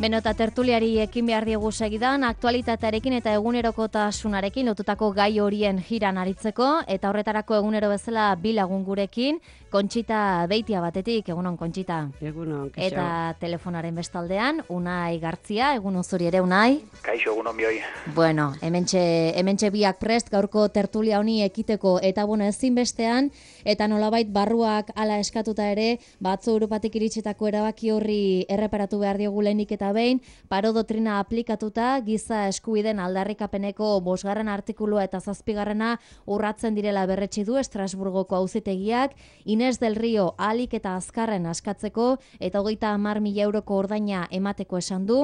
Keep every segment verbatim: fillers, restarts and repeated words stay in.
Beno, eta tertuliari ekin behar diegu segidan, aktualitatearekin eta egunerokotasunarekin lotutako gai horien jiran aritzeko, eta horretarako egunero bezala bi lagun gurekin, Kontxita Beitia batetik, egunon Kontxita. Egunon, kaixo. Eta telefonaren bestaldean, Unai Gartzia, egunon zuri ere Unai. Kaixo, egunon bioi. Bueno, hementxe, hementxe biak prest, gaurko tertulia honi ekiteko, eta bueno, ezin bestean, eta nolabait barruak ala eskatuta ere, batzu Europatik iritsitako erabaki horri erreparatu behar diogu lehenik eta behin, paro dotrina aplikatuta, giza eskubideen aldarrikapeneko bosgarren artikulua eta zazpigarrena urratzen direla berretsi du Estrasburgoko auzitegiak, Inés del Rio ahalik eta azkarren askatzeko eta hogeita hamar mila euroko ordaina emateko esan du.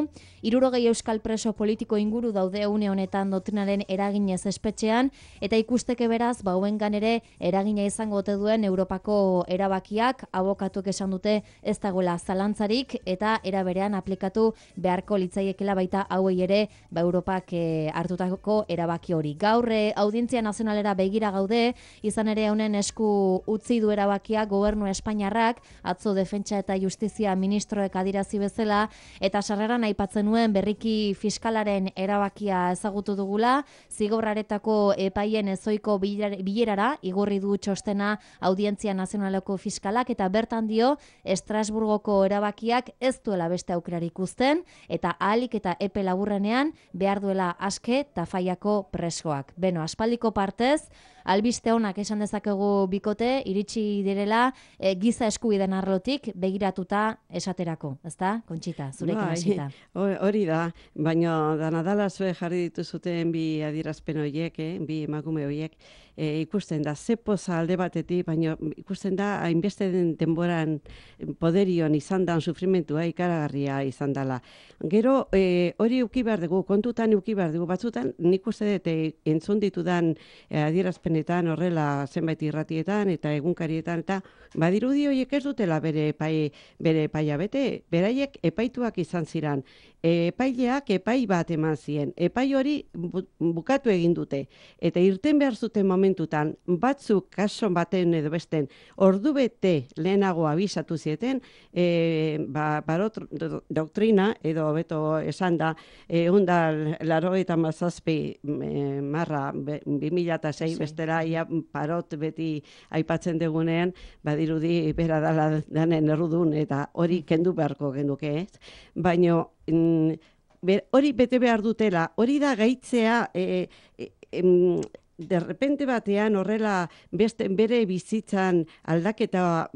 Hirurogei euskal preso politiko inguru daude une honetan dotrinaren eraginez espetxean, eta ikusteke beraz, bauengan ere eragina izango ote duen Europako erabakiak, abokatuek esan dute ez dagoela zalantzarik, eta era berean aplikatu beharko litzaiekela baita hauei ere ba Europak e, hartutako erabaki hori. Gaur e, Audientzia Nazionalera begira gaude, izan ere honen esku utzi du erabakia gobernu Espainiarrak, atzo Defentsa eta Justizia ministroek adirazi bezala, eta sarreran aipatzen nuen berriki fiskalaren erabakia ezagutu dugula, zigorraretako epaien ezoiko bilerara igorri du txostena Audientzia Nazionaleko fiskalak, eta bertan dio Estrasburgoko erabakiak ez duela beste aukerarik uzten, eta ahalik eta epe laburrenean behar duela aske Tafaiako presoak. Beno, aspaldiko partez, albiste honak esan dezakegu bikote, iritsi direla e, giza eskubideen arlotik begiratuta esaterako, ezta? Kontxita, zurekin hasita. Hori da, baina danadala zue jarri dituzuten bi adierazpen horiek, eh, bi emakume horiek, e, ikusten da, ze poza alde batetik, baina ikusten da, hainbeste den denboran poderion izan dan sufrimentua ikaragarria izan dela. Gero, e, hori uki behar dugu, kontutan uki behar dugu, batzutan nik uste dut e, entzun ditudan e, adierazpenetan, horrela zenbait irratietan eta egunkarietan, eta badirudi horiek ez dutela bere epai, bere epaia bete, beraiek epaituak izan ziren. Epaileak epai bat eman zien, epai hori bukatu egin dute, eta irten behar zuten momentutan, batzuk kaso baten edo besten, ordu bete lehenago abisatu zieten, e, ba, barot doktrina, edo beto esan da, e, onda laro eta mazazpi e, marra bi mila sei bestera ia parot beti aipatzen degunean, badirudi bera dala danen errudun, eta hori kendu beharko genuke, ez? Baina hori bete behar dutela, hori da gaitzea, e, e, em, de repente batean horrela beste, bere bizitzan aldaketa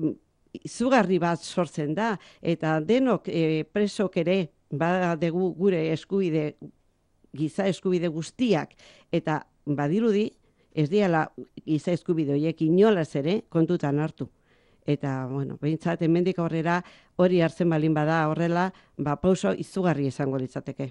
izugarri bat sortzen da, eta denok e, presok ere badegu gure eskubide, giza eskubide guztiak, eta badirudi ez diala giza eskubide horiek inolaz ere kontutan hartu. Eta, bueno, behintzat, hemendik aurrera hori hartzen balin bada horrela, ba, pauso izugarri izango litzateke.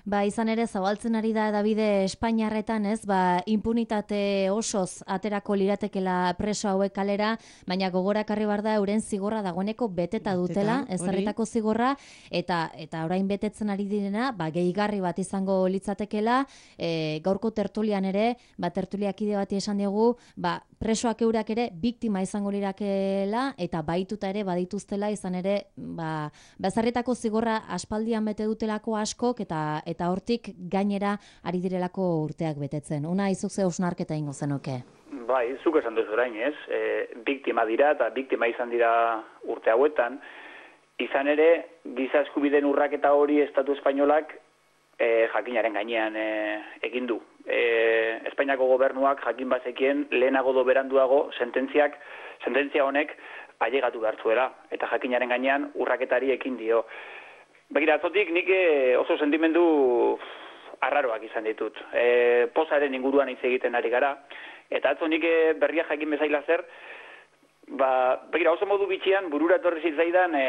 Ba, izan ere, zabaltzen ari da Davide Espainiarretan, ez, ba, impunitate osoz aterako liratekela preso hauek kalera, baina gogorakarri bar da euren zigorra dagoeneko beteta dutela, ezarritako zigorra, eta eta orain betetzen ari direna, ba, gehigarri bat izango litzatekela, e, gaurko tertulian ere, ba, tertuliakide bati esan diegu, ba, presoak eurak ere biktima izango lirakela, eta baituta ere badituztela, izan ere, ba, ezarritako zigorra aspaldian bete dutelako askok, eta eta hortik gainera ari direlako urteak betetzen. Una izuk ze hausnarketa ingo zenuke? Bai, zuk esan duzu orain, ez? E, biktima dira eta biktima izan dira urte hauetan. Izan ere, giza eskubideen urraketa hori Estatu Espainolak e, jakinaren gainean e, egin du. E, Espainiako gobernuak jakin bazekien lehenago do beranduago sententziak, sententzia honek ailegatu behar zuela, eta jakinaren gainean urraketari ekin dio. Begira, atzotik nik oso sentimendu arraroak izan ditut. E, pozaren inguruan hitz egiten ari gara, eta atzo nik berria jakin bezaila zer, ba, begira, oso modu bitxian burura etorri zitzaidan e,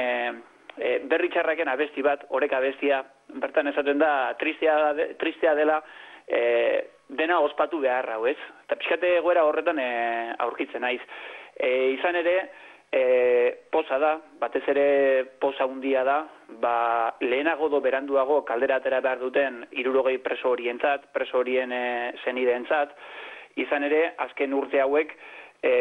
e, berri txarraken abesti bat, oreka abestia, bertan esaten da tristea, de, tristea dela e, dena ospatu beharra, ez? Eta pixkate egoera horretan e, aurkitzen naiz. E, izan ere, E, poza da, batez ere poza handia da, ba, lehenago do beranduago kaldera atera behar duten hirurogei preso horientzat, preso horien e, senideentzat, izan ere, azken urte hauek e,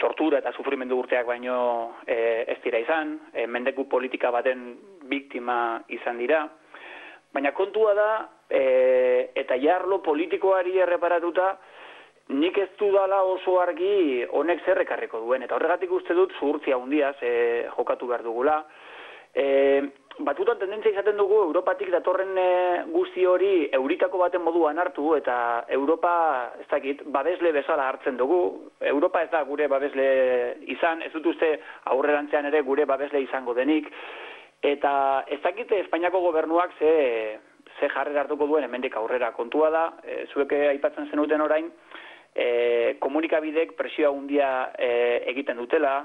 tortura eta sufrimendu urteak baino e, ez dira izan, e, mendeku politika baten biktima izan dira, baina kontua da, e, eta jarlo politikoari erreparatuta, nik ez dudala oso argi honek zer ekarriko duen, eta horregatik uste dut zuhurtzia handiaz e, jokatu behar dugula. E, Batutan tendentzia izaten dugu Europatik datorren e, guzti hori euritako baten moduan hartu, eta Europa, ez dakit, babesle bezala hartzen dugu. Europa ez da gure babesle izan, ez dut uste aurrerantzean ere gure babesle izango denik, eta ez dakit Espainiako gobernuak ze, ze jarrera hartuko duen hemendik aurrera. Kontua da, e, zuek aipatzen zenuten orain, e, komunikabidek presioa handia e, egiten dutela,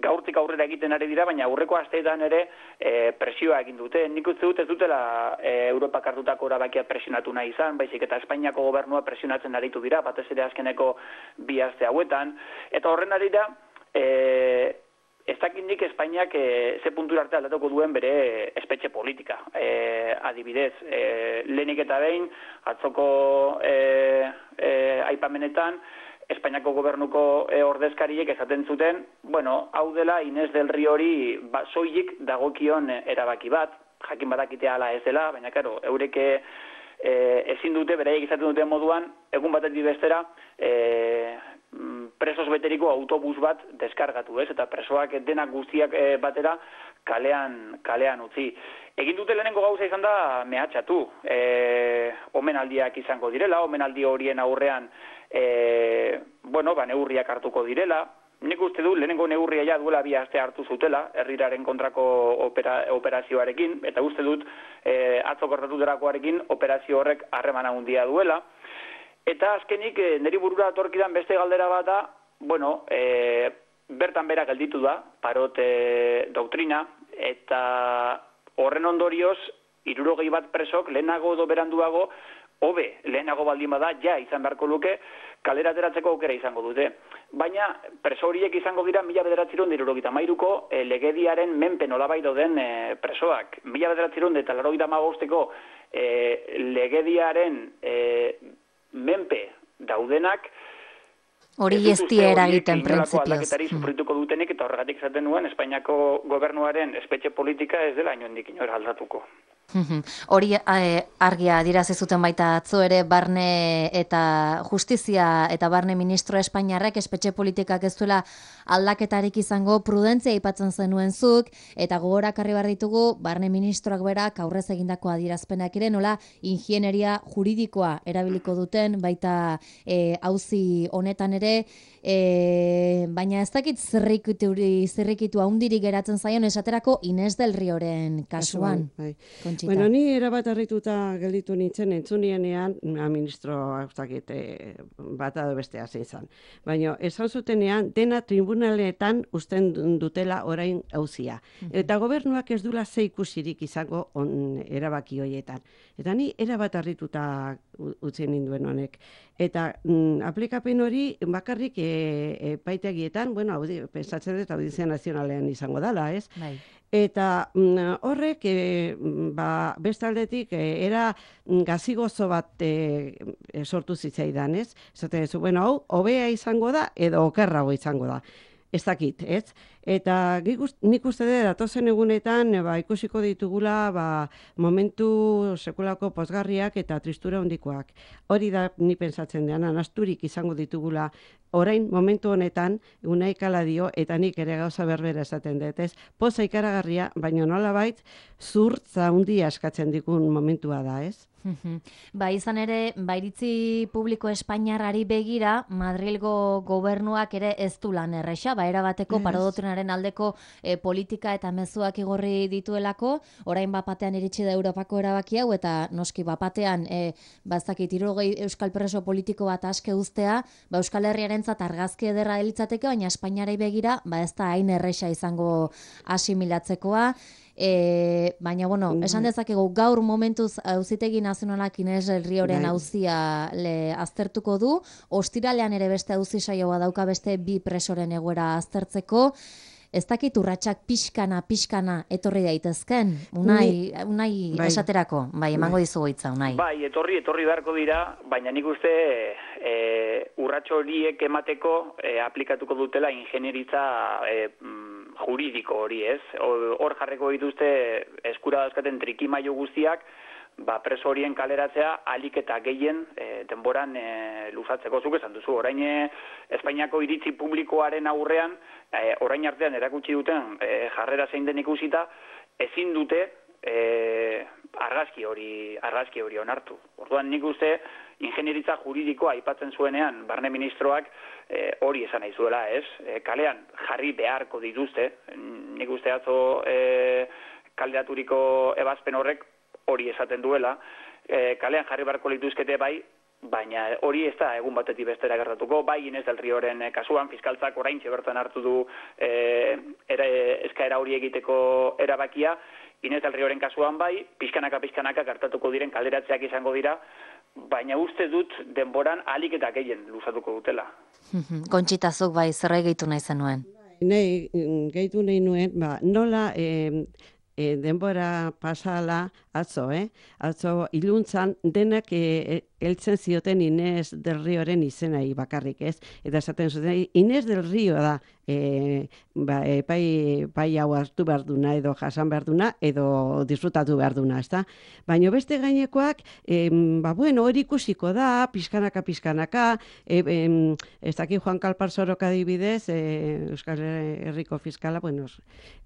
gaurtik aurrera egiten ari dira, baina aurreko asteetan ere e, presioa egin dute. Nik uste dut ez dutela e, Europak hartutako erabakia presionatu nahi izan, baizik eta Espainiako gobernua presionatzen aritu dira, batez ere azkeneko bi aste hauetan. Eta horren arira, e, ez dakit nik Espainiak e, ze puntura arte aldatuko duen bere espetxe politika. E, adibidez, e, lehenik eta behin, atzoko e, e, aipamenetan, Espainiako gobernuko e, ordezkariek esaten zuten, bueno, hau dela Inés del Riori ba, soilik dagokion erabaki bat, jakin badakitea ala ez dela, baina karo, eureke e, ezin dute, beraiek izaten duten moduan, egun batetik bestera, e, presos beteriko autobus bat deskargatu, ez? Eta presoak denak guztiak e, batera kalean, kalean utzi. Egin dute lehenengo gauza izan da mehatxatu. E, omenaldiak izango direla, omenaldi horien aurrean e, bueno, ba, neurriak hartuko direla. Nik uste du lehenengo neurria ja duela bi aste hartu zutela, herriraren kontrako opera, operazioarekin, eta uste dut e, atzo kortatuterakoarekin operazio horrek harremana handia duela. Eta azkenik, e, niri burura atorkidan beste galdera bat da, bueno, e, bertan bera gelditu da, parot e, doktrina, eta horren ondorioz, hirurogei bat presok, lehenago edo beranduago, hobe, lehenago baldin bada, ja izan beharko luke, kalera ateratzeko aukera izango dute. Baina, preso horiek izango dira mila bederatziehun eta hirurogeita hamairuko e, legediaren menpe nolabait dauden e, presoak. Mila bederatziehun eta laurogeita hamabosteko e, legediaren e, menpe daudenak, hori ez die eragiten printzipioz. Aldaketari sufrituko dutenik, eta horregatik zaten nuen Espainiako gobernuaren espetxe politika ez dela inondik inora aldatuko. Hori eh, argia adirazi zuten baita atzo ere barne eta justizia eta barne ministro Espainiarrek espetxe politikak ez duela aldaketarik izango prudentzia aipatzen zenuen zuk, eta gogorakarri behar ditugu barne ministroak berak aurrez egindako adierazpenak ere nola ingieneria juridikoa erabiliko duten baita eh, auzi honetan ere, e, baina ez dakit zerrikitu, zerrikitu haundirik geratzen zaion esaterako Inés del Rioren kasuan. Bai. Bueno, ni erabat harrituta gelditu nintzen entzunienean, ministro e, bat edo bestea zein zan. Baina esan zutenean dena tribunaletan usten dutela orain auzia. Eta gobernuak ez dula ze ikusirik izango on, erabaki horietan. Eta ni erabat harrituta utzi ninduen honek. Eta mm, aplikapen hori bakarrik e, epaitegietan, bueno, audi, pensatzen dut Audizia Nazionalean izango dela, ez? Bai. Eta mm, horrek, e, ba, bestaldetik, e, era gazigozo bat e, e, sortu zitzaidan, ez? Zaten ez, bueno, hau, hobea izango da, edo okerrago izango da. Ez dakit, ez? Eta nik uste dut, datozen egunetan, ba, ikusiko ditugula ba, momentu sekulako pozgarriak eta tristura handikoak. Hori da ni pentsatzen dean, asturik izango ditugula orain momentu honetan, Unai dio, eta nik ere gauza berbera esaten dut, ez? Poza ikaragarria, baina nolabait, zurtza handia eskatzen dikun momentua da, ez? Ba, izan ere, bairitzi publiko espainiarrari begira, Madrilgo gobernuak ere ez du lan erresa, ba, erabateko yes. Parodotrenaren aldeko e, politika eta mezuak igorri dituelako, orain bapatean iritsi da Europako erabaki hau, eta noski bapatean, e, bazakit, hirurogei euskal preso politiko bat aske uztea, ba, Euskal Herriarentzat argazki ederra delitzateke, baina Espainiarei begira, ba, ez da hain erresa izango asimilatzekoa. E, baina, bueno, esan dezakegu gaur momentuz Auzitegi Nazionalak Inés del Rioren auzia aztertuko du, ostiralean ere beste auzi saioa dauka beste bi presoren egoera aztertzeko. Ez dakit urratsak pixkana, pixkana etorri daitezken, unai, unai bai. Esaterako, bai, emango bai. Dizugu hitza, unai. Bai, etorri, etorri beharko dira, baina nik uste e, urratxo horiek emateko e, aplikatuko dutela ingenieritza e, juridiko hori, ez? Hor jarriko dituzte eskura dauzkaten trikimailu guztiak, ba, preso horien kaleratzea alik eta gehien e, denboran e, luzatzeko. Zuk esan duzu, orain e, Espainiako iritzi publikoaren aurrean, e, orain artean erakutsi duten e, jarrera zein den ikusita, ezin dute e, argazki hori argazki hori onartu. Orduan nik uste ingenieritza juridikoa aipatzen zuenean barne ministroak e, hori esan nahi zuela, ez? E, kalean jarri beharko dituzte, nik uste atzo e, kaleraturiko ebazpen horrek hori esaten duela, e, kalean jarri beharko lituzkete bai, baina hori ez da egun batetik bestera gertatuko, bai Inés del Rioren kasuan, fiskaltzak oraintxe bertan hartu du e, era, eskaera hori egiteko erabakia, Inés del Rioren kasuan bai, pixkanaka-pixkanaka gertatuko diren kalderatzeak izango dira, baina uste dut denboran alik eta gehien luzatuko dutela. Kontxitazuk bai, zer gehitu nahi zenuen? Nei, gehitu nahi nuen, ba, nola e, e, denbora pasala atzo, eh? Atzo iluntzan denak e, heltzen zioten Inés del Rioren izenai bakarrik, ez? Eta esaten zuten, Inés del Rio da, e, ba, epai, pai hau hartu behar duna, edo jasan behar duna, edo disfrutatu behar duna, ezta? Baina beste gainekoak, e, ba, bueno, hori ikusiko da, pizkanaka, pizkanaka, e, e, ez daki Juan Kalparsoroka adibidez, e, Euskal Herriko fiskala, bueno,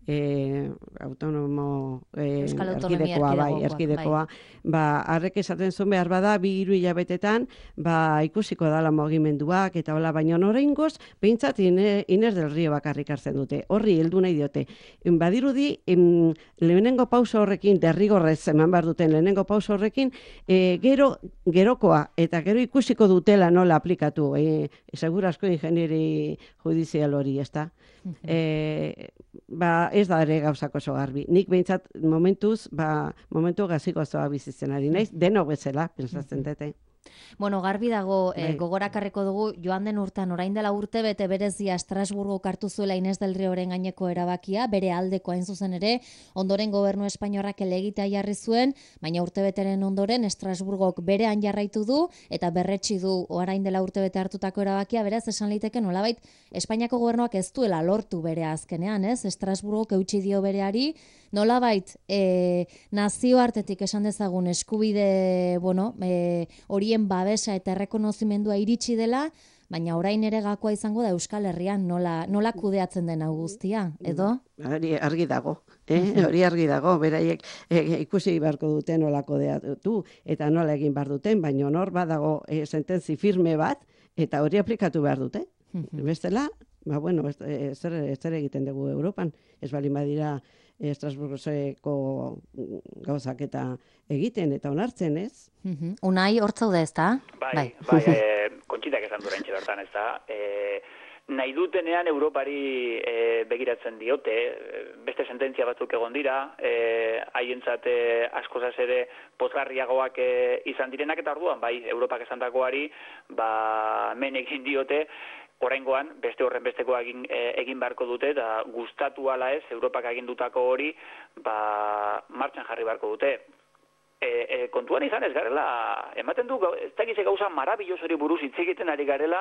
e, autonomo e, erkidekoa, bai, erkidekoa, bai. Ba, harrek esaten zuen behar bada, bi hiru hilabetetan, ba, ikusiko dala mugimenduak, eta hola, baina oraingoz, behintzat Inés del Rio bakarrik hartzen dute, horri heldu nahi diote. Badirudi, em, lehenengo pauso horrekin, derrigorrez eman behar duten lehenengo pauso horrekin, e, gero, gerokoa, eta gero ikusiko dutela nola aplikatu, e, segurasko ingenieri judizial hori, ez da? E, ba, ez da ere gauzako oso garbi. Nik behintzat momentuz, ba, momentu gaziko zoa bizitzen ari naiz, deno bezala, pensatzen dute. Bueno, garbi dago, eh, gogorakarreko dugu, joan den urtean, orain dela urte bete berezia Estrasburgo hartu zuela Inés del Rioren gaineko erabakia, bere aldeko hain zuzen ere, ondoren gobernu espainiarrak elegitea jarri zuen, baina urte beteren ondoren Estrasburgok berean jarraitu du, eta berretsi du orain dela urte bete hartutako erabakia, beraz, esan liteke nolabait, Espainiako gobernuak ez duela lortu bere azkenean, ez? Estrasburgok eutsi dio bereari, nolabait, e, nazioartetik esan dezagun eskubide, bueno, e, horien babesa eta errekonozimendua iritsi dela, baina orain ere gakoa izango da Euskal Herrian nola, nola kudeatzen den hau guztia, edo? Hori argi dago, eh? Hori argi dago, beraiek e, ikusi beharko duten nola kudeatu eta nola egin behar duten, baina nor badago e, sententzi firme bat, eta hori aplikatu behar dute. Bestela, ba, bueno, ez, zer, zer egiten dugu Europan, ez bali badira Estrasburgoko gauzak eta egiten eta onartzen, ez? Unai, hortzaude ez da? Bai, bai, bai e, kontxitak esan dura intxe bertan, ez da? E, nahi dutenean Europari e, begiratzen diote, beste sententzia batzuk egon dira, e, haientzat e, askozaz ere pozgarriagoak e, izan direnak, eta orduan, bai, Europak esan dagoari, ba, men egin diote, oraingoan beste horren besteko egin, e, egin beharko dute, eta gustatu ala ez, Europak agindutako hori, ba, martxan jarri beharko dute. E, e, kontuan izan ez garela, ematen du, ez dakize gauza marabillos hori buruz hitz egiten ari garela,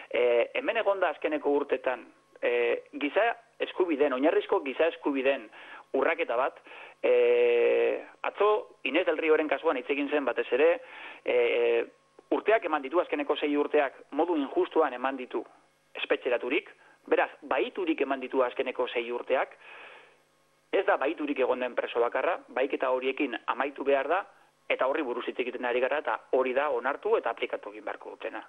e, hemen egonda azkeneko urtetan, e, giza eskubiden, oinarrizko giza eskubiden urraketa bat, e, atzo Inés del Rioren kasuan hitz egin zen batez ere, e, urteak eman ditu, azkeneko sei urteak modu injustuan eman ditu espetxeraturik, beraz, baiturik eman ditu azkeneko sei urteak, ez da baiturik egon den preso bakarra, baiketa horiekin amaitu behar da, eta horri buruz hitz egiten ari gara, eta hori da onartu eta aplikatu egin beharko dutena.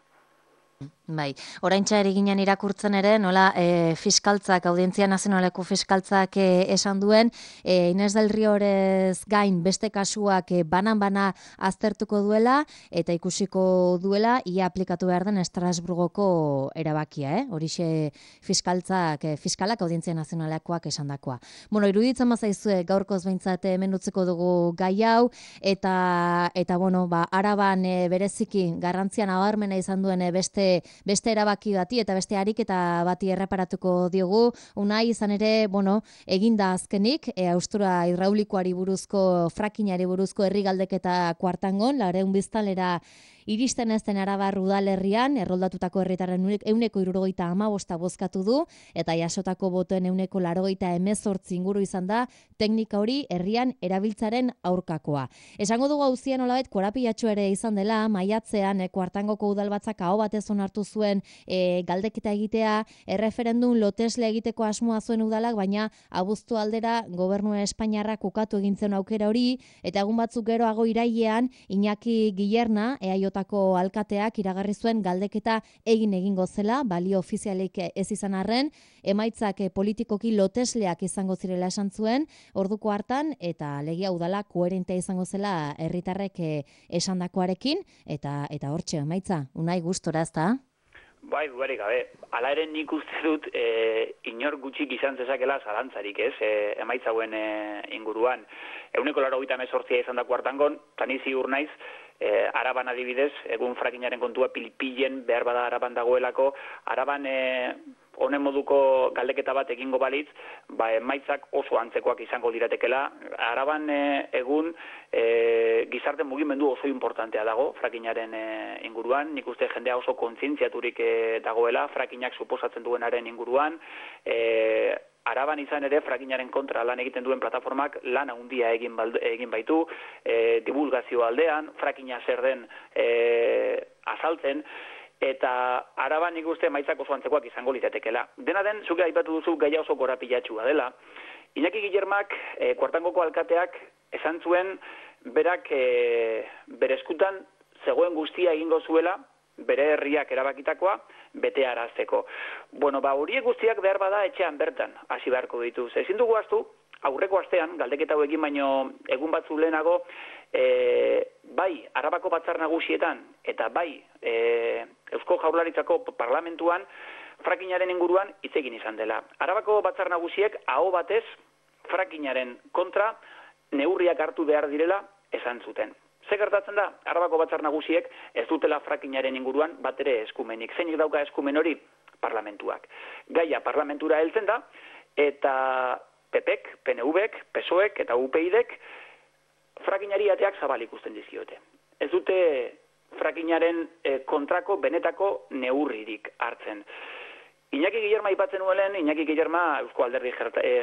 Bai, oraintza ere ginen irakurtzen ere, nola e, fiskaltzak, Audientzia Nazionaleko fiskaltzak e, esan duen, e, Inés del Riorez gain beste kasuak e, banan-bana aztertuko duela, eta ikusiko duela, ia aplikatu behar den Estrasburgoko erabakia, eh? Horixe fiskaltzak, e, fiskalak Audientzia Nazionalekoak esan dakoa. Bueno, iruditzen mazaizue, gaurkoz behintzat hemen utziko dugu gai hau, eta, eta bueno, ba, Araban e, bereziki garrantzian nabarmena izan duen e, beste beste erabaki bati eta beste ariketa bati erreparatuko diogu. Unai izan ere, bueno, eginda azkenik, e, haustura hidraulikoari buruzko, frakinari buruzko herri galdeketa kuartangon, laurehun biztanlera iristen ez den Arabar udalerrian, erroldatutako herritarren ehuneko hirurogeita hamabosta bozkatu du, eta jasotako botoen ehuneko laurogeita hemezortzi inguru izan da teknika hori herrian erabiltzaren aurkakoa. Esango dugu auzian nolabait korapilatxu ere izan dela, maiatzean e, Kuartangoko udalbatzak aho batez onartu zuen e, galdeketa egitea, erreferendum lotesle egiteko asmoa zuen udalak, baina abuztu aldera gobernu Espainiarrak ukatu egintzen aukera hori, eta egun batzuk geroago irailean Iñaki Guillerna, E A Jko alkateak iragarri zuen galdeketa egin egingo zela, balio ofizialik ez izan arren, emaitzak politikoki lotesleak izango zirela esan zuen, orduko hartan, eta legia udala koherentea izango zela herritarrek esandakoarekin, eta eta hortxe emaitza, unai gustora, ezta? Bai, dudarik gabe. Hala ere nik uste dut e, inor gutxik izan zezakela zalantzarik, ez, e, emaitzauen e, inguruan. Euneko laurogeita hemezortzia izan da Kuartangon, tani ziur naiz, e, Araban adibidez, egun frakinaren kontua pilpilen behar bada Araban dagoelako, Araban e, honen moduko galdeketa bat egingo balitz, ba, emaitzak oso antzekoak izango diratekela. Araban e, egun e, gizarte mugimendu oso importantea dago frakinaren e, inguruan, nik uste jendea oso kontzientziaturik e, dagoela, frakinak suposatzen duenaren inguruan, e, Araban izan ere frakinaren kontra lan egiten duen plataformak lan handia egin, balde, egin baitu, e, divulgazio aldean, frakina zer den e, azaltzen, eta Araban nik uste emaitzak oso antzekoak izango litatekela. Dena den, zuke aipatu duzu gaia oso korapilatxua dela. Iñaki Guillermak, e, Kuartangoko alkateak, esan zuen berak e, bere eskutan zegoen guztia egingo zuela, bere herriak erabakitakoa, bete arazteko. Bueno, ba, horiek guztiak behar bada etxean bertan, hasi beharko dituz. Ezin dugu astu, aurreko astean, galdeketa hauekin baino egun batzu lehenago, e, bai, Arabako batzar nagusietan, eta bai, e, Eusko Jaurlaritzako parlamentuan, frakinaren inguruan hitz egin izan dela. Arabako batzar nagusiek aho batez frakinaren kontra neurriak hartu behar direla esan zuten. Ze gertatzen da, Arabako batzar nagusiek ez dutela frakinaren inguruan bat ere eskumenik. Zeinik dauka eskumen hori? Parlamentuak. Gaia parlamentura heltzen da, eta P Pek, P N Vek, P S O Ek eta U P Idek frakinari ateak zabal ikusten dizkiote. Ez dute frakinaren eh, kontrako benetako neurririk hartzen. Iñaki Guillerma aipatzen nuelen, Iñaki Guillerma Eusko Alderdi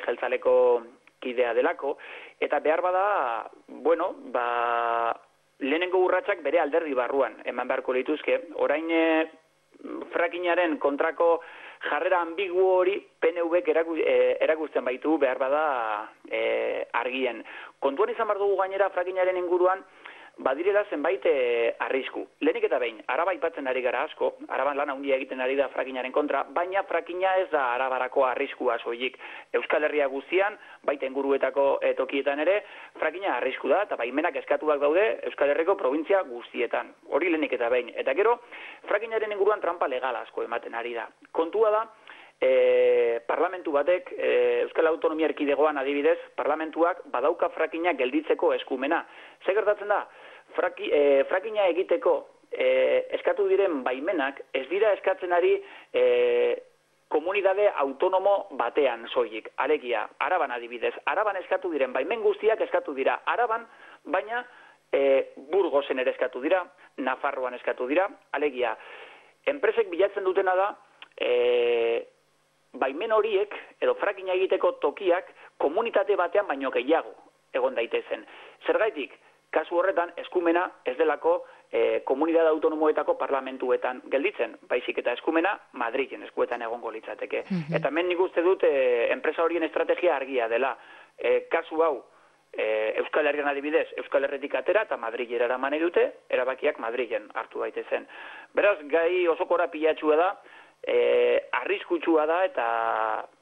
Jeltzaleko kidea delako, eta behar bada, bueno, ba, lehenengo urratsak bere alderdi barruan eman beharko lituzke. Orain e, frakinaren kontrako jarrera ambigu hori P N Vek eraku, e, erakusten baitu behar bada e, argien. Kontuan izan behar dugu gainera frakinaren inguruan badirela zenbait e, arrisku. Lehenik eta behin, Araba aipatzen ari gara asko, Araban lan handia egiten ari da frakinaren kontra, baina frakina ez da Arabarako arriskua soilik. Euskal Herria guztian, baita inguruetako e, tokietan ere, frakina arrisku da, eta baimenak eskatuak daude Euskal Herriko provintzia guztietan. Hori lehenik eta behin. Eta gero, frakinaren inguruan trampa legal asko ematen ari da. Kontua da, E, parlamentu batek, e, Euskal Autonomia Erkidegoan adibidez, parlamentuak badauka frakina gelditzeko eskumena. Ze gertatzen da, Fraki, e, frakina egiteko e, eskatu diren baimenak ez dira eskatzen ari e, komunidade autonomo batean soilik. Alegia, Araban adibidez, Araban eskatu diren baimen guztiak eskatu dira Araban, baina e, Burgosen ere eskatu dira, Nafarroan eskatu dira. Alegia, enpresek bilatzen dutena da, e, baimen horiek, edo frakina egiteko tokiak, komunitate batean baino gehiago egon daitezen. Zergaitik, kasu horretan, eskumena ez delako e, komunidade autonomoetako parlamentuetan gelditzen, baizik eta eskumena Madrilen eskuetan egongo litzateke. Mm-hmm. Eta hemen nik uste dut, e, enpresa horien estrategia argia dela. E, kasu hau, e, Euskal Herrian adibidez, Euskal Herretik atera eta Madrilera eraman dute, erabakiak Madrilen hartu daitezen. Beraz, gai oso korapilatxua da, E, arriskutsua da, eta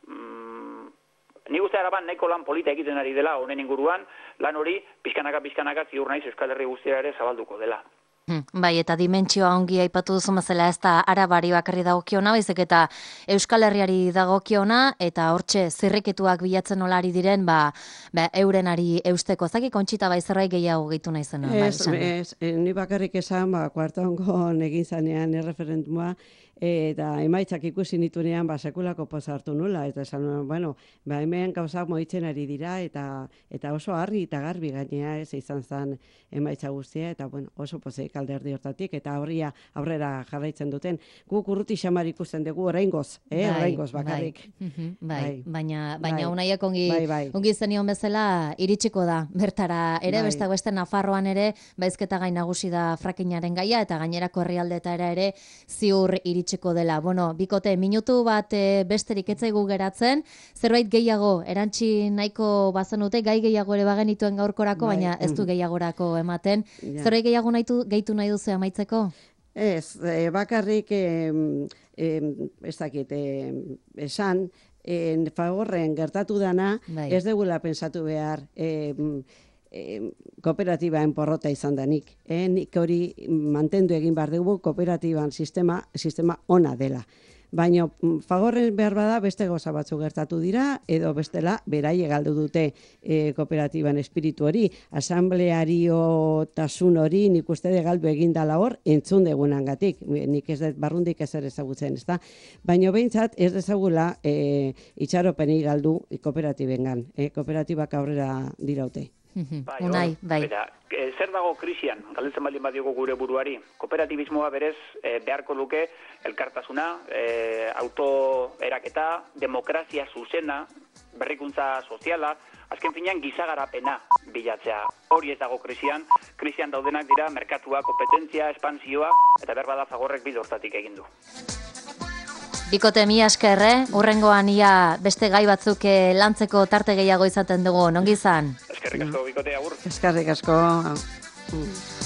mm, nik uste Araban nahiko lan polita egiten ari dela honen inguruan, lan hori pizkanaka-pizkanaka ziur naiz Euskal Herri guztiara ere zabalduko dela. Hmm, bai, eta dimentsioa ongi aipatu duzu mazela ez da Arabari bakarri dagokiona, baizik eta Euskal Herriari dagokiona, eta hortxe zirriketuak bilatzen olari diren, ba, ba eurenari eusteko. Zaki Kontxita bai zerbait gehiago gehitu nahi zen. Ez, ba, ez, ni bakarrik esan, ba, Kuartangon egin zanean erreferenduma, eta emaitzak ikusi nitunean, ba, sekulako poza hartu nula, eta esan, bueno, ba, hemen gauzak moitzen ari dira, eta eta oso harri eta garbi gainea, ez izan zen emaitza guztia, eta bueno, oso pozik alderdi hortatik, eta horria aurrera jarraitzen duten. Guk urruti xamar ikusten dugu oraingoz, eh, oraingoz bakarrik. Bai, bai, baina, bai, baina unaiak ongi, bai, bai. ongi zenion bezala iritsiko da, bertara ere, Bai. beste beste Nafarroan ere, baizketa gai nagusi da frakinaren gaia, eta gainerako herrialdeetara ere ziur iritsiko dela. Bueno, bikote, minutu bat e, besterik etzaigu geratzen, zerbait gehiago, erantzi nahiko bazenute, gai gehiago ere bagenituen gaurkorako, Bai. baina ez du gehiagorako ematen. Ja. Zerbait gehiago nahitu, gehitu nahi duzu amaitzeko? Ez, e, bakarrik, e, e, ez dakit, e, esan, e, fagorren gertatu dana, Bai. ez degula pensatu behar, e, e, kooperatibaen porrota izan danik. E, nik hori mantendu egin behar dugu kooperatiban sistema, sistema ona dela. Baina fagorren behar bada beste gauza batzu gertatu dira, edo bestela beraie galdu dute e, kooperatiban espiritu hori, asambleario tasun hori nik uste de galdu egin dala hor, entzun degunangatik, nik ez dut barrundik ezer ezagutzen, ezta? Baina behintzat ez dezagula e, itxaropeni galdu kooperatibengan, e, kooperatibak aurrera diraute. Bai, Unai, hor, bai. bera, e, zer dago krisian, galdetzen baldin badiogo gure buruari. Kooperatibismoa berez e, beharko luke elkartasuna, e, autoeraketa, demokrazia zuzena, berrikuntza soziala, azken finean gizagarapena bilatzea. Hori ez dago krisian, krisian daudenak dira merkatua, kompetentzia, espansioa, eta behar bada Fagorrek bide hortatik egin du. Bikote, mi askerre, urrengoan ia beste gai batzuk eh, lantzeko tarte gehiago izaten dugu, ongi izan? Eskerrik asko, bikote, agur. Eskarrik asko. Mm.